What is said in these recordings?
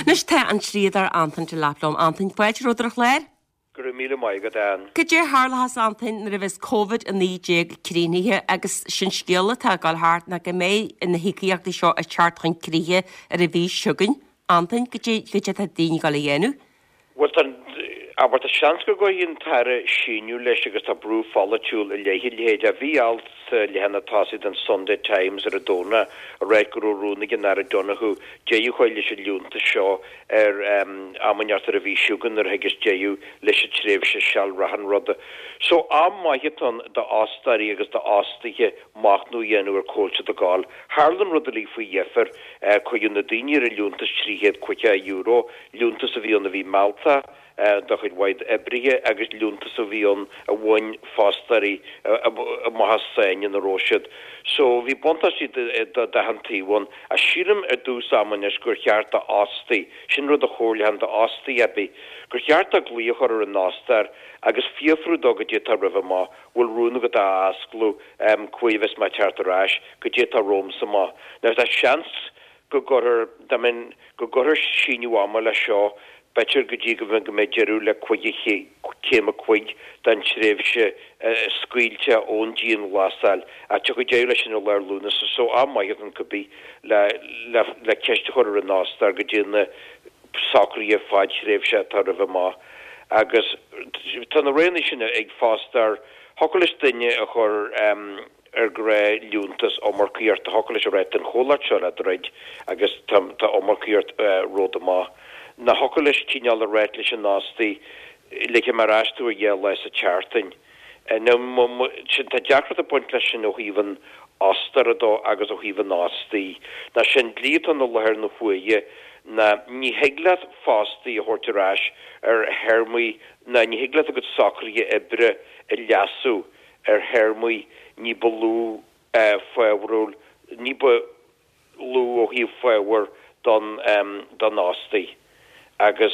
Anois tá an dlíodóir Antain Delap liom. Antain, fáilte romhat ar an chlár. Go raibh míle maith agat, Ann. Cad é a tharlóchas, Antain, nuair a bheas Covid-19 críochnaithe agus sin scéal atá ag dul thart ná go mbeidh na híocaíochtaí seo ag teacht chun críche ar an mhí seo chugainn. Antain, cad é cad é atá daoine ag dul a dhéanamh? Bhuel, tá, abair, tá seans go gcuirfidh an tAire síneadh leis agus tá brú pholaitiúil i leith a leithéid. Bhí alt sa leathanach tosaigh den Sunday Times ar an Domhnach ag ráit go raibh rún ag an Aire Donohoe deireadh a chur leis an liúntas seo ar am inteacht ar an mhí seo chugainn nuair a thigeas deireadh leis an tréimhse sealreatha an ruda. So am maith atá ann d'fhostóirí agus d'fhostaithe machnamh a dhéanamh ar cá bhfuil siad ag gabháil. Tharla an rud uilig faoi dheifir, cuireadh na daoine ar an liúntas €350, liúntas a bhí ann a bhí mealltach do chuid mhaith d'oibrithe agus liúntas a bhí ann a bhain fostóirí amach as sáinn ina raibh siad. So bhí buntáistí d'achan taobh ann. Ach sílim i dtús ama anois gur cheart d'fhostaí, sin rud a chomhairleoinn d'fhostaí ar bith, gur cheart dó glaoch a chur ar an fhostóir agus fiafrú dó goidé atá roimhe amach, bhfuil rún agat a osclú, cá huair a bheas mé ag teacht ar ais, goidé atá romhamsa amach. Now tá seans go gcuirfear, dá mbeinn, go gcuirfear síneadh ama leis seo, b'fhéidir go dtí go mbeidh deireadh le céim a cuig den tréimhse scaoilte ón dianghlasáil, ach tiocfaidh deireadh leis sin i lár Lúnasa, so am maith atá ann cibé le, le, le ceist a chur ar an fhostóir goidé na socruithe fadthréimhse atá roimhe amach. Agus tá na roghanna sin ag fostóir, thiocfadh leis duine a chur, ar ghnáthliúntas iomarcaíochta. Thiocfadh leis a rá tá an chomhlacht seo le druid agus tá iomarcaíocht romhat amach. Nó thiocfadh leis cineál a ráit leis an fhostaí, ligfidh mé ar ais tú ar dheich lá sa tseachtain. Now, sin, tá deacracht ag baint leis sin ó thaobh an fhostóra dó agus ó thaobh an fhostaí. Ná sin dlí atá ann i láthair na huaire ná ní thig leat fostaí a thabhairt ar ais ar théarmaí ná ní thig leat a gcuid socruithe oibre a leasú ar théarmaí ní ba lú fábharúil, ní ba lú ó thaobh fabhar don don fhostaí. Agus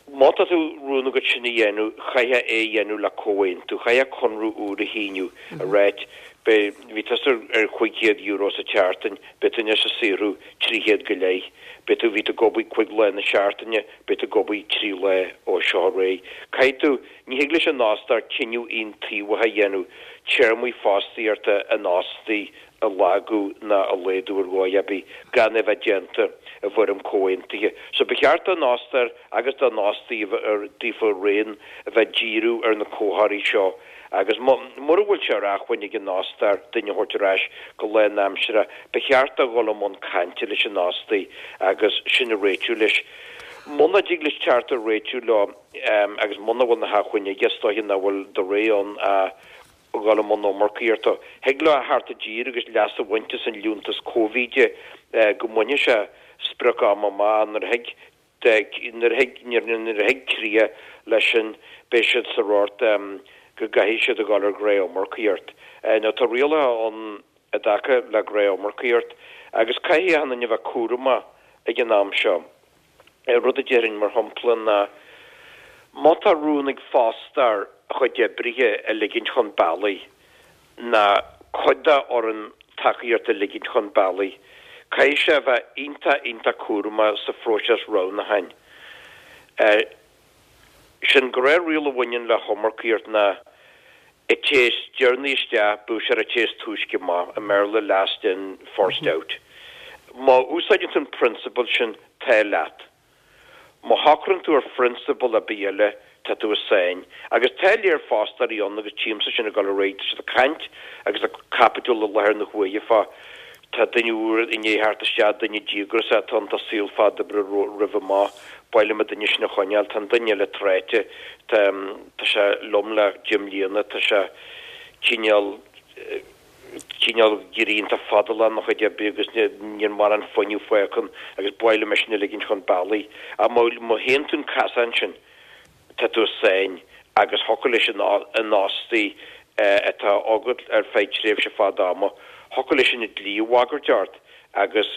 má tá tú rún agat sin a dhéanamh, chaithfeá é a dhéanamh le comhaontú, chaithfeá conradh úr a shíniú, a ráit, beidh, bhí tusa ar €500 sa tseachtain, beidh tú anois ag saothrú 300 go leith, beidh tú, bhí tú ag obair cuig lá na seachtaine, beidh tú ag obair trí lá ó seo ar aghaidh. Caithfidh tú. Ní thig leis an fhostóir cinneadh aontaobhach a dhéanamh téarmaí fostaíochta an fhostaí a lagú ná a laghdú ar dhóigh ar bith gan é bheith déanta i bhfoirm comhaontaithe. So ba cheart don fhostóir agus don fhostaí daofa araon a bheith ag díriú ar na comharthaí seo agus mura bhfuil sé ar acmhainn ag an fhostóir duine a thabhairt ar ais go lánaimseartha, ba cheart dó dhul i mbun cainte leis an fhostaí agus sin a réitiú leis. Muna dtig leis teacht ar réitiú leo, agus muna bhfuil na hacmhainní aige, is dóiche nach bhfuil de rogha ann ach dhul i mbun iomarcaíochta. Thig leo a theacht i dtír agus leas a bhaint as an liúntas Cóivíde go mbainfidh sé sprioc ama amach nuair a thig nuair a thig nuair a thig críoch leis sin beidh siad sa rort go gcaithfidh siad a dhul ar ghnáth-iomarcaíocht. Now tá rialacha ann i dtaca le gnáth-iomarcaíocht agus caithfidh achan duine a bheith cúramach ag an am seo. Rud a déarfainn, mar shampla, ná má tá rún ag fostóir a chuid oibrithe a ligint chun bealaigh, ná cuid dá fhoireann tacaíochta a ligint chun bealaigh, caithfidh sé a bheith iontach, iontach cúramach sa phróiseas roghnúcháin. Sin gnáthriail a bhaineann le hiomarcaíocht ná an té is deireanaí isteach, bíodh sé ar an té is túisce amach, i mBéarla last in, first out. Má úsáideann tú an prionsabal sin, tá leat. Má shocraíonn tú ar phrionsabal ar bith eile, tá tú i sáinn. Agus tá léir fostóirí ann agus tchímse sin ag dul ar aghaidh, tá siad ag caint agus ag caibidil i láthair na huaire fá Tá duine úr i ndiaidh theacht isteach, duine díograiseach atá ann, tá saol fada oibre roimhe amach, ba mhaith liom an duine sin a choinneáil. Tá an duine eile tráite, tá, tá sé liom le deich mbliana, tá sé cineál, cineál ag éirí iontach fadálach ina chuid oibre agus níl mórán fuinneamh fágtha ann agus ba mhaith liom é sin a ligint chun bealaigh. Ach má, má théann tú an casán sin, tá tú i sáinn agus thiocfadh leis an fhostaí atá agat ar feadh tréimhse fada ama, thiocfadh leis an dlí a bhagairt ort agus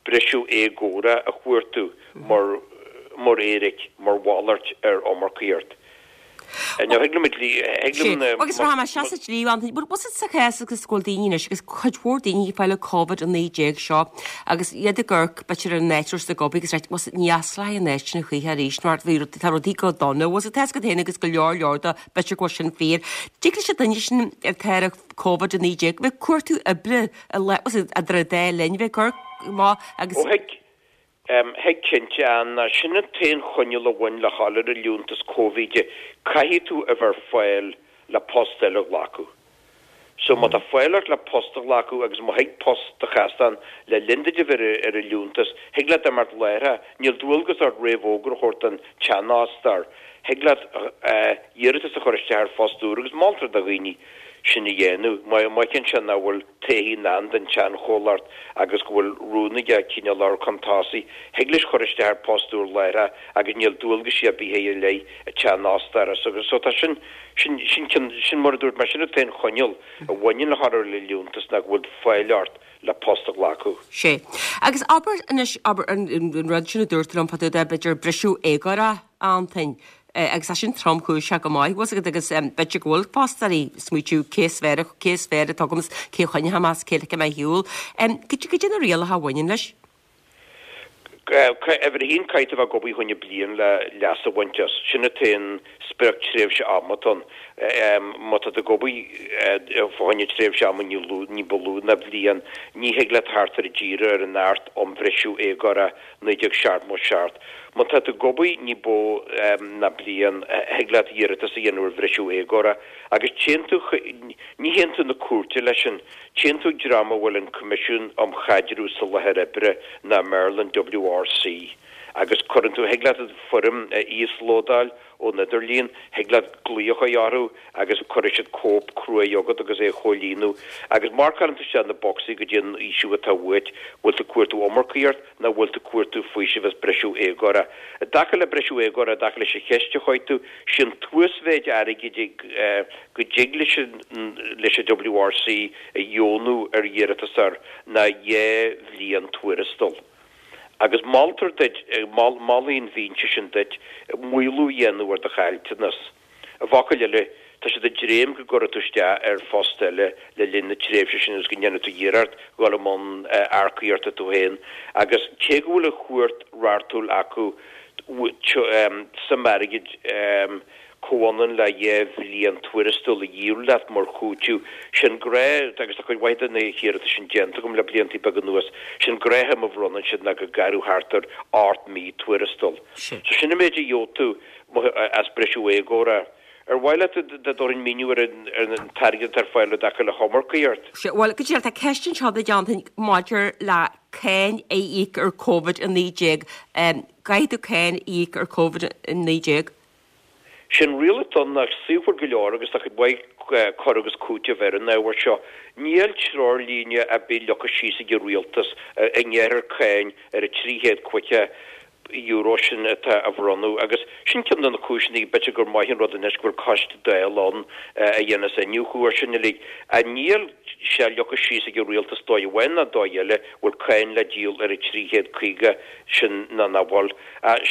briseadh éagóra a chuartú mar mar éiric, mar mhalairt ar iomarcaíocht. Now thig liom dlí, thig liom na. Agus rachaidh mé isteach sa dlí, Anthony, but what's it sa chás agus go bhfuil daoine anois agus cuid mhór daoine ag fáil an Covid-19 seo agus iad ag amharc b'fhéidir ar an áit a raibh siad ag obair agus ag ráit, what's it, ní fhostóidh an áit sin a choíche arís mar bhí rudaí, tá rudaí go dona, what's it, tá a fhios agat féin agus go leor leor de b'fhéidir go bhfuil sin fíor. Dtig leis an duine sin atá ar Covid-19 bheith ag cuartú oibre i le, what's it, idir an dá linn bheith ag amharc amach agus. Ó thig, Thig cinnte, Anna. Sin an t-aon choinníoll a bhain le dhul ar an liúntas Cóivíde, caithfidh tú a bheith ar fáil le post eile a ghlacadh. So má tá fáil ort le post a ghlacadh agus má thig post do chasán le linn duit a bheith ar an liúntas, thig leat imeacht láithreach, níl dualgas ort réamhfhógra a thabhairt don tseanfhostóir, thig leat iarratas a chur isteach ar phost úr agus moltar do dhaoine sin a dhéanamh. Má fheiceann sé nach bhfuil todhchaí i ndán don tseanchomhlacht agus go bhfuil rún aige cineál a chur chun tosaigh, thig leis chur isteach ar post úr láithreach agus níl dualgaisí ar bith air i leith an tseanfhostóra. So so tá sin, sin, sin cionn, sin mar a dúirt mé, sin an t-aon choinníoll a bhaineann le chur ar an liúntas ná go bhfuil fáil ort le post a ghlacadh. Sé. Agus abair anois, abair an, an rud sin a dúirt tú liom fá dtaobh de, b'fhéidir briseadh éagórach, Antain, agus tá sin tromchúiseach go maith, bhfuil 's agat, agus b'fhéidir go bhfuil fostóirí ag smaoitiú cé is fearr, cé is fearr atá agam is cé a choinneoidh mé is cé a ligfidh mé ar shiúl. Cad é na rialacha a bhaineann leis? Uimhir a haon, caithfidh tú a bheith ag obair fá choinne bliain le leas a bhaint as. Sin an t-aon sprioc tréimhse ama atá ann. Má tá tú ag obair fá choinne tréimhse ama ní ní ba lú ná bliain, ní thig leat theacht i dtír ar an Acht um Bhriseadh Éagóra 1977. Má tá tú ag obair ní bó ná bliain, thig leat iarratas a dhéanamh ar bhriseadh éagóra agus téann tú, ní théann tú na cúirte leis sin, téann tú ag dream a bhfuil an Coimisiún um Chaidreamh Soláthair Oibre nó i mBéarla an WRC agus cuireann tú, thig leat an foirm a íoslódáil ón idirlíon, thig leat glaoch a chur orthu agus cuirfidh siad cóip cruaidh chugat agus é a chomhlíonadh agus marcálann tú isteach na bocsaí goidé an fhaoiseamh atá uait, bhfuil tú ag cuartú iomarcaíocht nó bhfuil tú ag cuartú faoiseamh as briseadh éagóra. I dtaca le briseadh éagóra, i dtaca leis an cheist a chuir tú, sé an t-uasmhéid airgid go dtig leis leis an WRC a dheonú ar iarratasóir ná dhá bhliain tuarastail. Agus moltar duit, molfaidh an bhinse sin duit, maolú a dhéanamh ar do chaillteanas. I bhfocail eile, tá siad ag dréim go gcuirfidh tú isteach ar phost eile le linn na tréimhse sin agus go ndéanfaidh tú iarracht dhul i mbun earcaíochta tú féin. Agus cé go bhfuil an chumhacht reachtúil acu suim airgid comhionann le dhá bhliain tuarastail a dhíol leat mar chúiteamh, sé'n gnáth, agus tá cuid mhaith de na hiarratais sin déanta agam le blianta beaga anuas, sé'n gnáthshuim a bhronnann siad ná go gaireadh thart ar ocht mí tuarastail. So sin an méid a gheobhaidh tú as briseadh éagóra. Ar mhaith leat dá dtabharfainn míniú ar an t-airgead atá ar fáil i dtaca le hiomarcaíocht? Sea, bhuel, go díreach, tá ceist anseo duit, Antain, maidir le cáin a íoc ar Covid-19. Caithfidh tú cáin a íoc ar Covid-19? Sé'n riail atá ann ná saothmhar go leor agus tá cuid mhaith cur agus cúiteamh ar an ábhar seo. Níl treoirlíne ar bith leagtha síos ag an rialtas an ngearrfar cáin ar an €350 sin atá á bhronnadh agus sin ceann de na cúiseanna b'fhéidir gur maith an rud anois go bhfuil coiste Dála ann a dhéanfas iniúchadh ar sin uilig. Ach níl sé leagtha síos ag an rialtas dóigh amháin ná dóigh eile bhfuil cáin le díol ar an 350 sin ná nach bhfuil.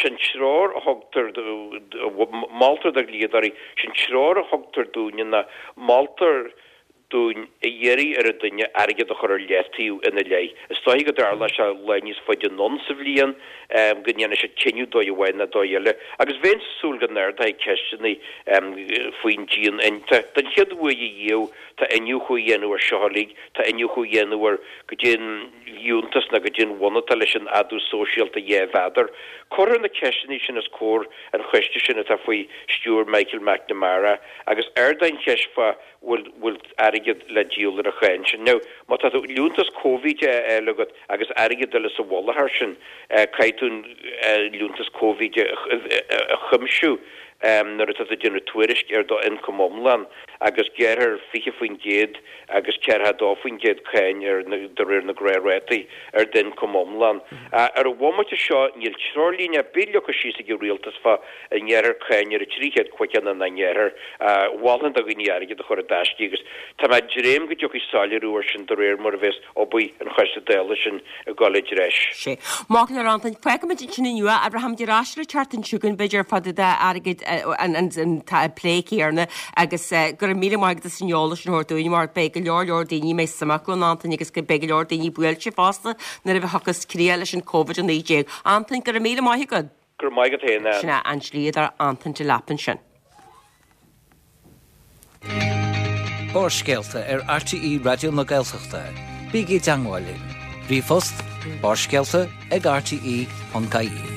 Sé'n treoir a thugtar, moltar do dhlíodóirí, sé'n treoir a thugtar dúinne ná moltar dúinn a iarraidh ar an duine airgead a chur ar leataobh ina leith. Is dóichí go dtarlóidh sé lá níos faide anonn sa bhliain go ndéanfaidh siad cinneadh dóigh amháin ná dóigh eile. Agus bheinnse ag súil go n-ardóidh ceisteanna faoin dian. Den chéad uair riamh tá iniúchadh á dhéanamh ar seo uilig, tá iniúchadh á dhéanamh ar goidé an fhiúntas ná goidé an bhun atá leis an fhadú sóisialta 2 mhéadar. Cuirfear na ceisteanna sin os comhair an choiste sin atá faoi stiúir Michael McNamara agus ardóidh an cheist fá bhfuil bhfuil airgead le díol ar an cháin sin. Now, má tá tú liúntas Covid á fháil agat agus airgead eile sa mhullach air sin, caithfidh tú an liúntas Covid a chuimsiú nuair atá tú ag déanamh tuairisc ar do ioncam iomlán agus gearrfar 20% agus 42% cáin ar de réir na gnáthrátaí ar d'ioncam iomlán. Ar an bhomaite seo níl treoirlíne ar bith leagtha síos ag an rialtas fá an ngearrfar cáin ar an 350 nó nach ngearrfar. Mholfainn do dhaoine airgead a chur i dtaisce agus tá mé ag dréim go dtiocfaidh soiléiriú air sin de réir mar a bheas obair an choiste Dála sin ag dul i dtreis. Sea. Maith go leor Antain, fágfaimid ansin inniu é, rachaimid ar ais an tseachtain seo chugainn b'fhéidir fá dtaobh d'airgead. an plé céanna agus go raibh míle maith agat as an eolas sin a thabhairt dúinn mar beidh go leor leor daoine a mbeidh suim acu ann Antain agus beidh go leor daoine buailte fosta nuair a thiocfas críoch leis an Covid-19. Antain, go raibh míle maith agat. Go raibh maith agat féin, Ann. Sin é an dlíodóir Antain Delap ansin. Barrscéalta ar RTÉ Raidió na Gaeltachta. Bígí i dteangmháil linn. Ríomhphost, barrscéalta ag rte.ie.